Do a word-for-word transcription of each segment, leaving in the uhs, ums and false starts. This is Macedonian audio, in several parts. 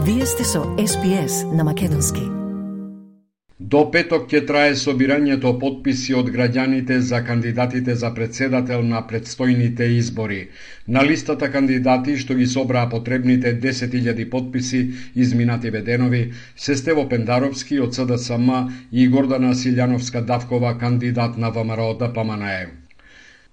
Вие сте со Ес Би Ес на македонски. До петок ќе трае собирањето потписи од граѓаните за кандидатите за председател на предстојните избори. На листата кандидати што ги собраа потребните десет илјади потписи изминативе денови се Стево Пендаровски од Се Де Се Ем и Гордана Силјановска-Давкова, кандидат на Вэ Ем Ер О Д П М Н Е.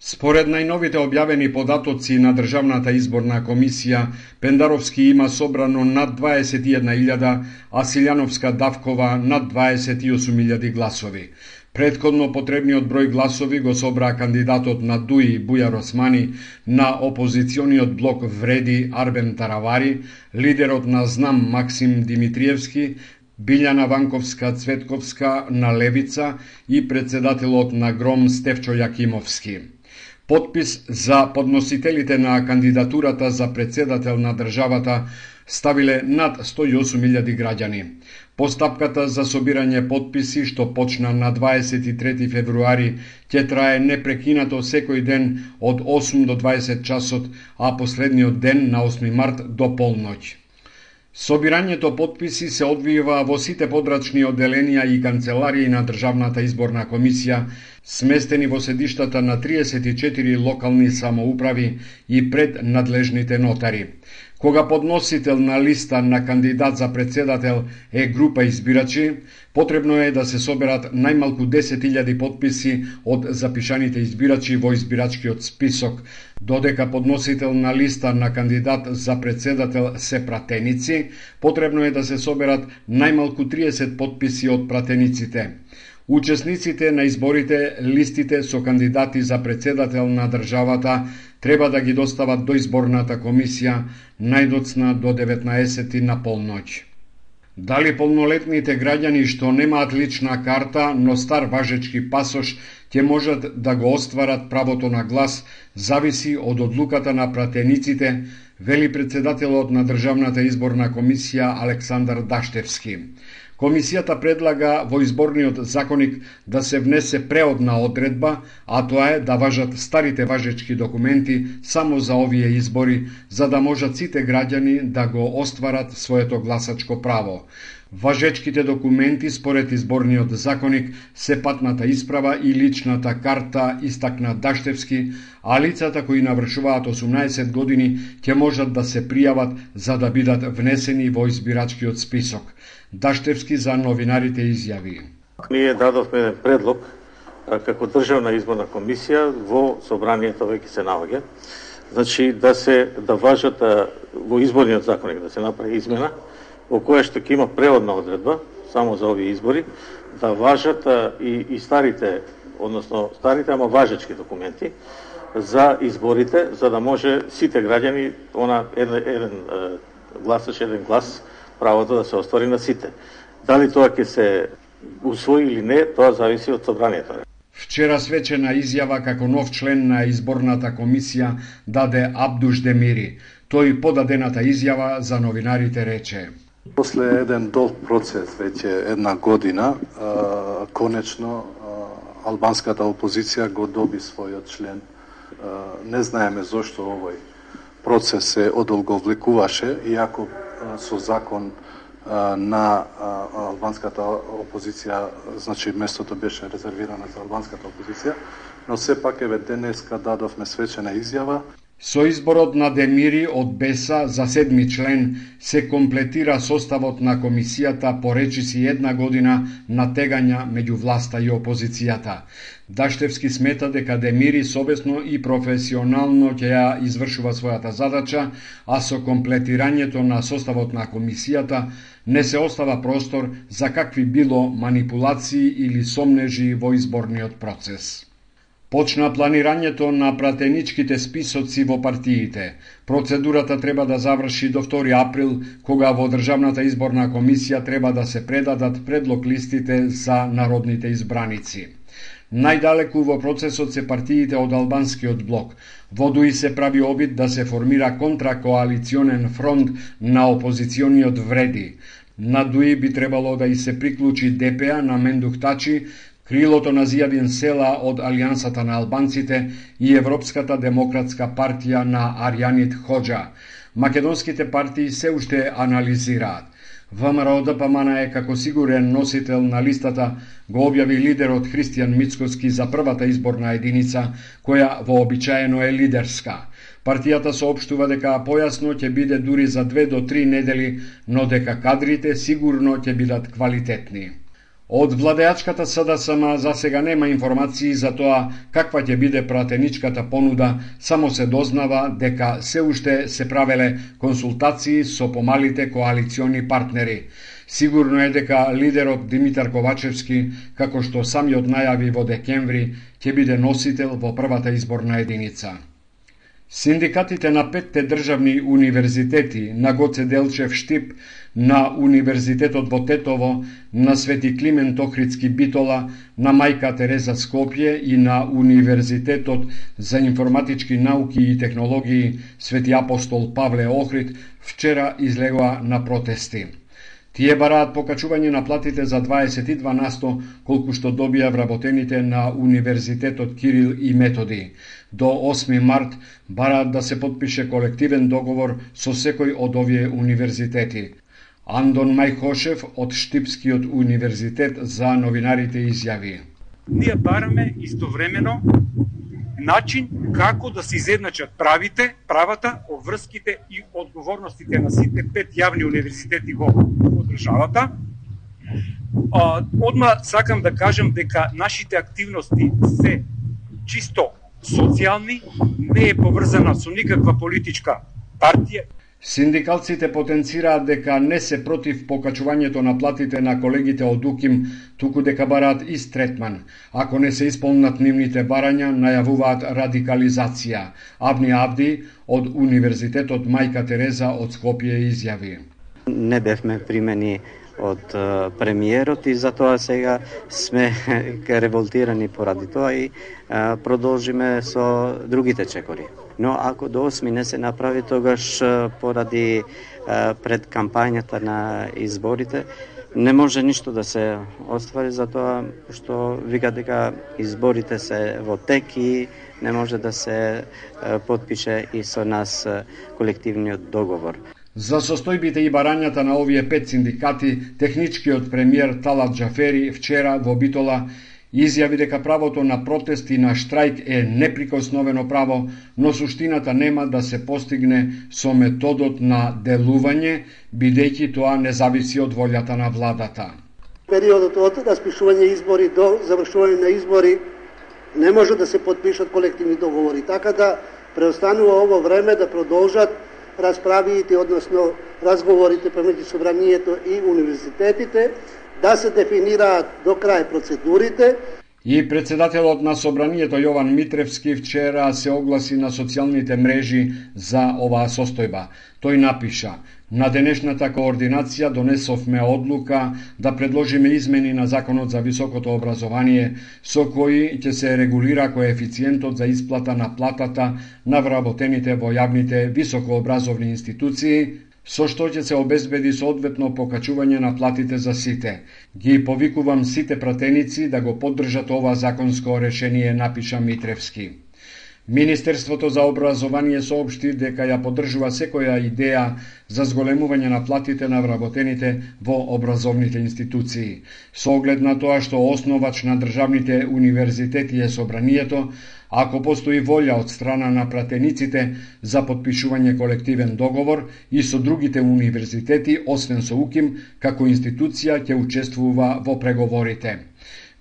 Според најновите објавени податоци на Државната изборна комисија, Пендаровски има собрано над дваесет и една илјада, а Силјановска-Давкова над дваесет и осум илјади гласови. Претходно потребниот број гласови го собраа кандидатот на Д У И Бујар Османи, на опозициониот блок Вреди Арбен Таравари, лидерот на Знам Максим Димитриевски, Билјана Ванковска-Цветковска на Левица и председателот на Гром Стефчо Јакимовски. Потпис за подносителите на кандидатурата за председател на државата ставиле над сто и осум илјади граѓани. Постапката за собирање потписи, што почна на дваесет и трети февруари, ќе трае непрекинато секој ден од осум до дваесет часот, а последниот ден на осми март до полноќ. Собирањето потписи се одвива во сите подрачни одделенија и канцеларии на Државната изборна комисија, сместени во седиштата на триесет и четири локални самоуправи и пред надлежните нотари. Кога подносител на листа на кандидат за председател е група избирачи, потребно е да се соберат најмалку десет илјади потписи од запишаните избирачи во избирачкиот список, додека подносител на листа на кандидат за председател се пратеници, потребно е да се соберат најмалку триесет потписи од пратениците. Учесниците на изборите листите со кандидати за председател на државата треба да ги достават до изборната комисија најдоцна до деветнаесети на полноќ. Дали полнолетните граѓани што немаат лична карта, но стар важечки пасош, ќе можат да го остварат правото на глас, зависи од одлуката на пратениците, вели председателот на Државната изборна комисија Александар Даштевски. Комисијата предлага во изборниот законик да се внесе преодна одредба, а тоа е да важат старите важечки документи само за овие избори, за да можат сите граѓани да го остварат своето гласачко право. Важечките документи според изборниот законик се патната исправа и личната карта, истакна Даштевски, а лицата кои навршуваат осумнаесет години ќе можат да се пријават за да бидат внесени во избирачкиот список. Даштевски за новинарите изјави: Ние дадовме еден предлог како Државна изборна комисија, во собранието веќе се наоѓа. Значи да се да важат во изборниот законник да се направи измена во која што ќе има преводна одредба само за овие избори, да важат и, и старите, односно старите, ама важечки документи за изборите, за да може сите граѓани, она еден, еден гласаш, еден глас, правото да се оствари на сите. Дали тоа ќе се усвои или не, тоа зависи од собранието. Вчера свечена изјава како нов член на изборната комисија даде Абдуш Демири. Тој подадената изјава за новинарите рече: После еден долг процес, веќе една година, конечно албанската опозиција го доби својот член. Не знаеме зошто овој процес се одолговлекуваше, иако со закон на албанската опозиција, значи местото беше резервирано за албанската опозиција, но сепак еве денеска дадовме свечена изјава. Со изборот на Демири од Беса за седми член се комплетира составот на комисијата по речиси една година на тегања меѓу власта и опозицијата. Даштевски смета дека Демири совесно и професионално ќе ја извршува својата задача, а со комплетирањето на составот на комисијата не се остава простор за какви било манипулации или сомнежи во изборниот процес. Почна планирањето на пратеничките списоци во партиите. Процедурата треба да заврши до втори април, кога во Државната изборна комисија треба да се предадат предлог листите за народните избраници. Најдалеку во процесот се партиите од албанскиот блок. Во Д У И се прави обид да се формира контракоалиционен фронт на опозициониот Вреди. На Д У И би требало да и се приклучи Д П А на Мендух Тачи, крилото на Зијадин Села од Алијансата на албанците и Европската демократска партија на Арјанит Хоџа. македонските партии се уште анализираат. ВМРО-ДПМН е како сигурен носител на листата го објави лидерот Христијан Мицкоски за првата изборна единица, која вообичаено е лидерска. Партијата соопштува дека појасно ќе биде дури за две до три недели, но дека кадрите сигурно ќе бидат квалитетни. Од владеачката СДСМ за сега нема информации за тоа каква ќе биде пратеничката понуда, само се дознава дека се уште се правеле консултации со помалите коалициони партнери. Сигурно е дека лидерот Димитар Ковачевски, како што самиот најави во декември, ќе биде носител во првата изборна единица. Синдикатите на петте државни универзитети, на Гоце Делчев Штип, на Универзитетот во Тетово, на Свети Климент Охридски Битола, на Мајка Тереза Скопје и на Универзитетот за информатички науки и технологии Свети Апостол Павле Охрид вчера излегоа на протести. Тие бараат покачување на платите за дваесет и два насто, колку што добија вработените на Универзитетот Кирил и Методи. До осми март бараат да се потпише колективен договор со секој од овие универзитети. Андон Мајхошев од Штипскиот универзитет за новинарите изјави: Ние бараме истовремено начин како да се изедначат правите, правата, обврските и одговорностите на сите пет јавни универзитети во државата. Одма сакам да кажам дека нашите активности се чисто социјални, не е поврзана со никаква политичка партија. Синдикалците потенцираат дека не се против покачувањето на платите на колегите од УКИМ, туку дека бараат ист третман. Ако не се исполнат нивните барања, најавуваат радикализација. Абни Абди од Универзитетот Мајка Тереза од Скопје изјави: Не бевме примени од премиерот и затоа сега сме револтирани поради тоа и а, продолжиме со другите чекори. Но ако до осми не се направи, тогаш поради а, пред кампањата на изборите не може ништо да се оствари, затоа што вика дека изборите се во тек и не може да се а, подпише и со нас а, колективниот договор. За состојбите и барањата на овие пет синдикати, техничкиот премиер Талат Џафери вчера во Битола изјави дека правото на протест и на штрајк е неприкосновено право, но суштината нема да се постигне со методот на делување, бидејќи тоа не зависи од волјата на владата. Периодот од распишување избори до завршување на избори не може да се подпишат колективни договори, така да преостанува ово време да продолжат расправите, односно разговорите помеѓу собранието и универзитетите, да се дефинираат до крај процедурите. И председателот на собранието Јован Митревски вчера се огласи на социјалните мрежи за оваа состојба. Тој напиша: На денешната координација донесовме одлука да предложиме измени на Законот за високото образование, со кои ќе се регулира коефициентот за исплата на платата на вработените во јавните високообразовни институции, со што ќе се обезбеди соодветно покачување на платите за сите. Ги повикувам сите пратеници да го поддржат ова законско решение, напиша Митревски. Министерството за образование соопшти дека ја поддржува секоја идеја за зголемување на платите на вработените во образовните институции. Со оглед на тоа што основач на државните универзитети е собранието, ако постои волја од страна на пратениците за подпишување колективен договор и со другите универзитети, освен со УКИМ, како институција ќе учествува во преговорите.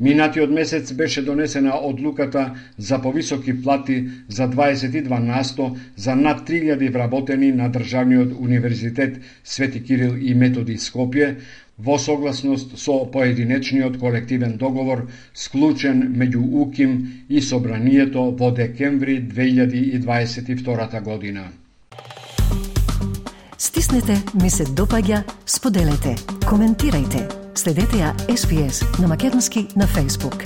Минатиот месец беше донесена одлуката за повисоки плати за дваесет и два насто за над три илјади вработени на Државниот универзитет Свети Кирил и Методи Скопје, во согласност со поединечниот колективен договор склучен меѓу УКИМ и собранието во декември две илјади и дваесет и втора година. Стиснете, ми се допаѓа, споделете, коментирајте. Следете ја Ес Би Ес на македонски на Facebook.